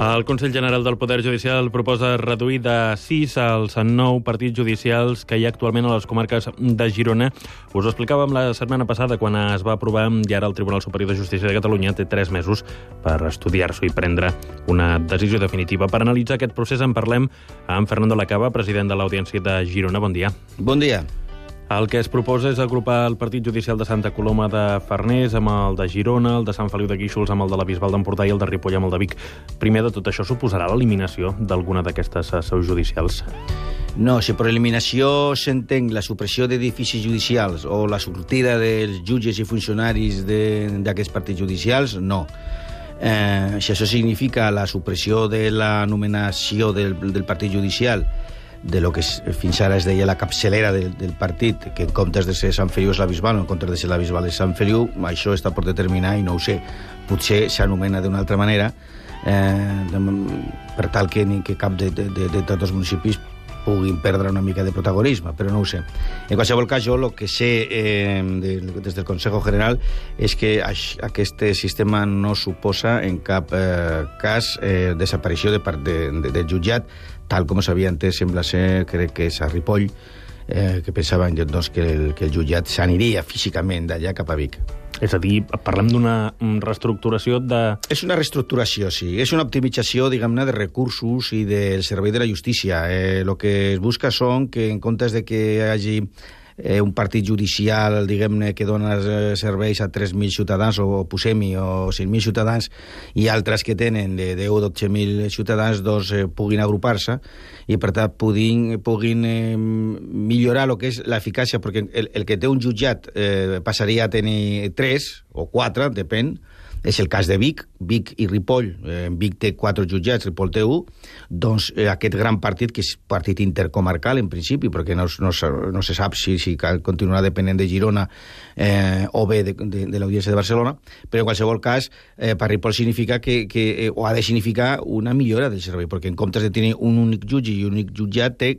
El Consell General del Poder Judicial proposa reduir de 6 als 9 partits judicials que hi ha actualment a les comarques de Girona. Us ho explicàvem la setmana passada quan es va aprovar i ara el Tribunal Superior de Justícia de Catalunya té 3 mesos per estudiar-s'ho i prendre una decisió definitiva. Per analitzar aquest procés en parlem amb Fernando Lacaba, president de l'Audiència de Girona. Bon dia. Bon dia. El que es proposa és agrupar el Partit Judicial de Santa Coloma de Farners amb el de Girona, el de Sant Feliu de Guíxols amb el de la Bisbal d'Empordà i el de Ripoll amb el de Vic. Primer de tot això, suposarà l'eliminació d'alguna d'aquestes seus judicials? No, si per eliminació s'entén la supressió d'edificis judicials o la sortida dels jutges i funcionaris d'aquests partits judicials, no. Si això significa la supressió de la nomenació del partit judicial, de lo que fins ara es deia la capçalera del partit, que en comptes de ser Sant Feliu és la Bisbal, o en comptes de ser la Bisbal és Sant Feliu, això està per determinar i no ho sé. Potser s'anomena d'una altra manera, per tal que cap de tots els municipis puguin perdre una mica de protagonisme, però no ho sé. En qualsevol cas, jo el que sé des del Consejo General és que aquest sistema no suposa en cap cas desaparició del jutjat, tal com s'havia entès, sembla ser, crec que és a Ripoll, que pensaven doncs, que el jutjat s'aniria físicament d'allà cap a Vic. És a dir, parlem d'una reestructuració de... És una reestructuració, sí. És una optimització, diguem-ne, de recursos i del servei de la justícia. El que es busca són que, en comptes de que hi hagi un partit judicial, diguem-ne, que dona serveis a 3.000 ciutadans, o posem-hi, o 5.000 ciutadans, i altres que tenen de 10 o 12.000 ciutadans, doncs puguin agrupar-se i, per tant, puguin millorar el que és l'eficàcia, perquè el que té un jutjat passaria a tenir 3 o 4, depèn. És el cas de Vic i Ripoll. Vic té 4 jutjats, Ripoll té 1. Doncs aquest gran partit, que és partit intercomarcal, en principi, perquè no se sap si continuarà depenent de Girona o bé de l'Audiència de Barcelona, però en qualsevol cas, per Ripoll significa o ha de significar una millora del servei, perquè en comptes de tenir un únic jutge i un únic jutjat, té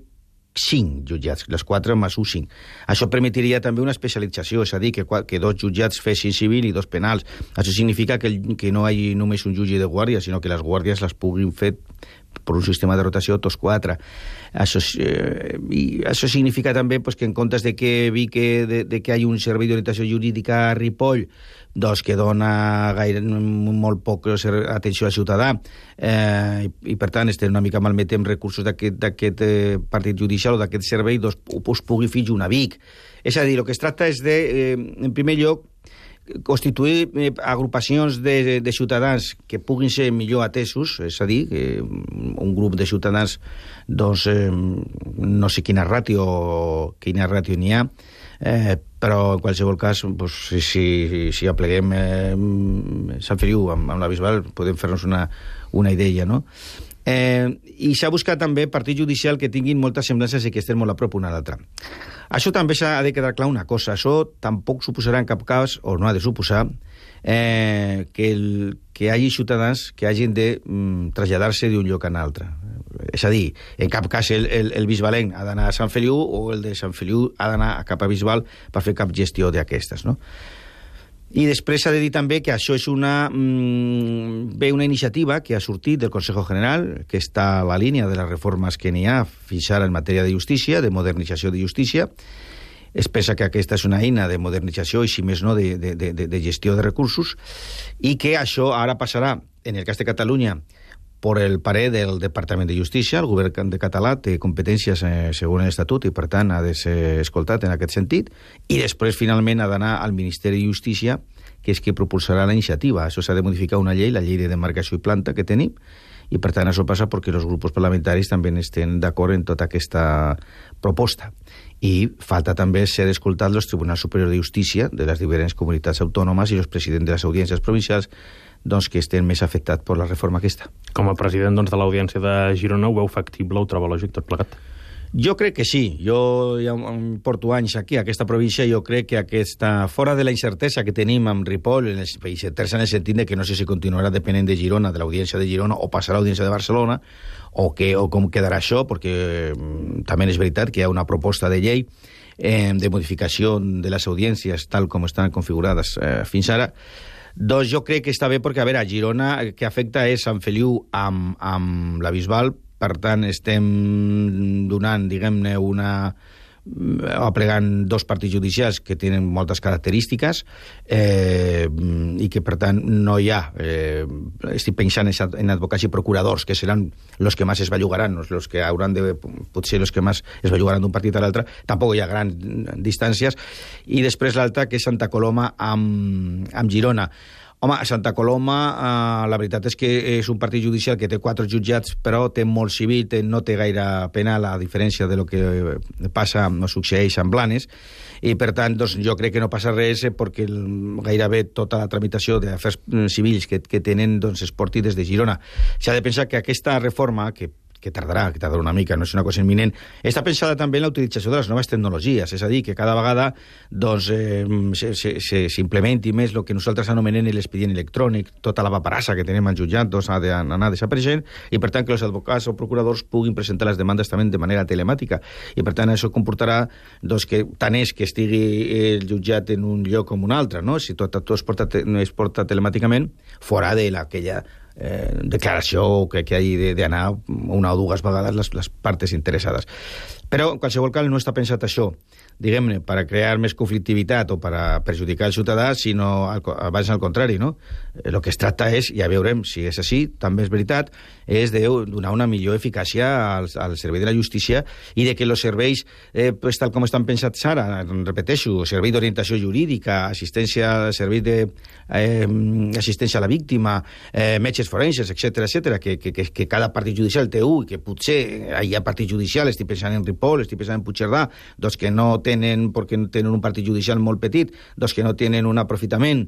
5 jutjats, les 4 més 1, 5. Això permetiria també una especialització, és a dir, que 2 jutjats fessin civil i 2 penals. Això significa que no hi hagi només un jutge de guàrdia, sinó que les guàrdies les puguin fer per un sistema de rotació tots 4. Això significa també que en comptes de que hi hagi un servei d'orientació jurídica a Ripoll, doncs que dona molt poc atenció al ciutadà, i per tant estem una mica malmetent recursos d'aquest partit judicial o d'aquest servei, doncs pugui fer una Vic. És a dir, el que es tracta és de, en primer lloc, constituir agrupacions de ciutadans que puguin ser millor atesos, és a dir, que un grup de ciutadans, doncs, no sé quina ràtio n'hi ha, però en qualsevol cas, doncs, si apleguem Sant Feliu amb la Bisbal, podem fer-nos una idea, no? I s'ha buscat també partit judicial que tinguin moltes semblances i que estén molt a prop una a l'altra. Això també s'ha de quedar clar una cosa, això tampoc suposarà en cap cas, o no ha de suposar, que hi hagi ciutadans que hagin de traslladar-se d'un lloc a un altre. És a dir, en cap cas el bisbalenc ha d'anar a Sant Feliu o el de Sant Feliu ha d'anar cap a Bisbal per fer cap gestió d'aquestes, no? I després s'ha de dir també que això és una iniciativa que ha sortit del Consejo General, que està a la línia de les reformes que n'hi ha fins ara en matèria de justícia, de modernització de justícia. Es pensa que aquesta és una eina de modernització i, si més no, de gestió de recursos, i que això ara passarà, en el cas de Catalunya, per el parer del Departament de Justícia. El govern de català té competències segons l'Estatut i, per tant, ha de ser escoltat en aquest sentit. I després, finalment, ha d'anar al Ministeri de Justícia, que és qui propulsarà la iniciativa. Això s'ha de modificar una llei, la llei de demarcació i planta que tenim, i, per tant, això passa perquè els grups parlamentaris també estan d'acord en tota aquesta proposta. I falta també ser escoltat els Tribunals Superiors de Justícia de les diferents comunitats autònomes i els presidents de les audiències provincials, doncs, que estem més afectats per la reforma aquesta. Com a president de l'Audiència de Girona, ho veu factible, ho troba lògic tot plegat? Jo crec que sí. Jo ja porto anys aquí, a aquesta província, jo crec que fora de la incertesa que tenim amb Ripoll, incertesa en el sentit de que no sé si continuarà depenent de Girona, de l'Audiència de Girona, o passarà a l'Audiència de Barcelona, o com quedarà això, perquè també és veritat que hi ha una proposta de llei de modificació de les audiències tal com estan configurades fins ara. Doncs jo crec que està bé perquè, a veure, a Girona que afecta és Sant Feliu amb la Bisbal, per tant estem donant, diguem-ne, aplegant 2 partits judicials que tenen moltes característiques i que, per tant, no hi ha... estic pensant en advocats i procuradors, que seran els que més es bellugaran, els que hauran de... potser els que més es bellugaran d'un partit a l'altre. Tampoc hi ha grans distàncies. I després l'altra, que és Santa Coloma amb Girona. Home, a Santa Coloma, la veritat és que és un partit judicial que té 4 jutjats, però té molt civil, no té gaire penal, a diferència de lo que passa o succeeix amb Blanes, i per tant doncs, jo crec que no passa res perquè gairebé tota la tramitació d'afers civils que tenen doncs, es porti des de Girona. S'ha de pensar que aquesta reforma, que tardarà una mica, no és una cosa imminent, està pensada també en la utilització de les noves tecnologies, és a dir, que cada vegada doncs, s'implementi més el que nosaltres anomenem l'expedient electrònic, tota la paperassa que tenim al jutjat doncs, ha d'anar desapareixent, i per tant que els advocats o procuradors puguin presentar les demandes també de manera telemàtica, i per tant això comportarà doncs, que tant és que estigui el jutjat en un lloc com un altre, no? Si tot es porta telemàticament, fora de aquella declaració que hagi d'anar 1 o 2 vegades les parts interessades. Però, en qualsevol cas, no està pensat això, diguem-ne, per a crear més conflictivitat o per a perjudicar el ciutadà, sinó abans al contrari, no? El que es tracta és, ja veurem si és així, també és veritat, és de donar una millor eficàcia al servei de la justícia i de que els serveis, pues, tal com estan pensats ara, repeteixo, servei d'orientació jurídica, servei d'assistència a la víctima, metges forenses, etc., que cada partit judicial té un, i que potser hi ha partit judicial, estic pensant en Ripoll, estic pensant en Puigcerdà, doncs que no tenen, perquè tenen un partit judicial molt petit, doncs que no tenen un aprofitament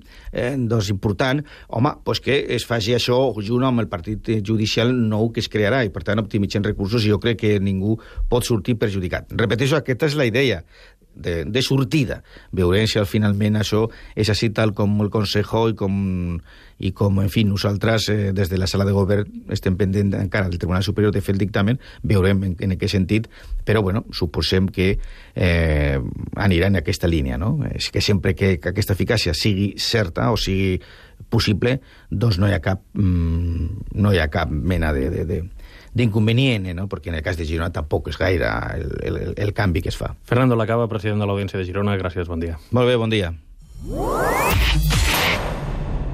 doncs important, home, doncs que es faci això junt amb el partit judicial nou que es crearà, i per tant optimitzem recursos, i jo crec que ningú pot sortir perjudicat. Repeteixo, aquesta és la idea de sortida. Veurem si finalment això és així tal com el Consejo i com, en fi, nosaltres des de la sala de govern estem pendent encara del Tribunal Superior de fer el dictamen, veurem en què sentit, però bueno, suposem que anirà en aquesta línia, no? És que sempre que aquesta eficàcia sigui certa o sigui possible, doncs no hi ha cap mena d'inconvenient, no? Perquè en el cas de Girona tampoc és gaire el canvi que es fa. Fernando Lacaba, president de l'Audiència de Girona, gràcies, bon dia. Molt bé, bon dia.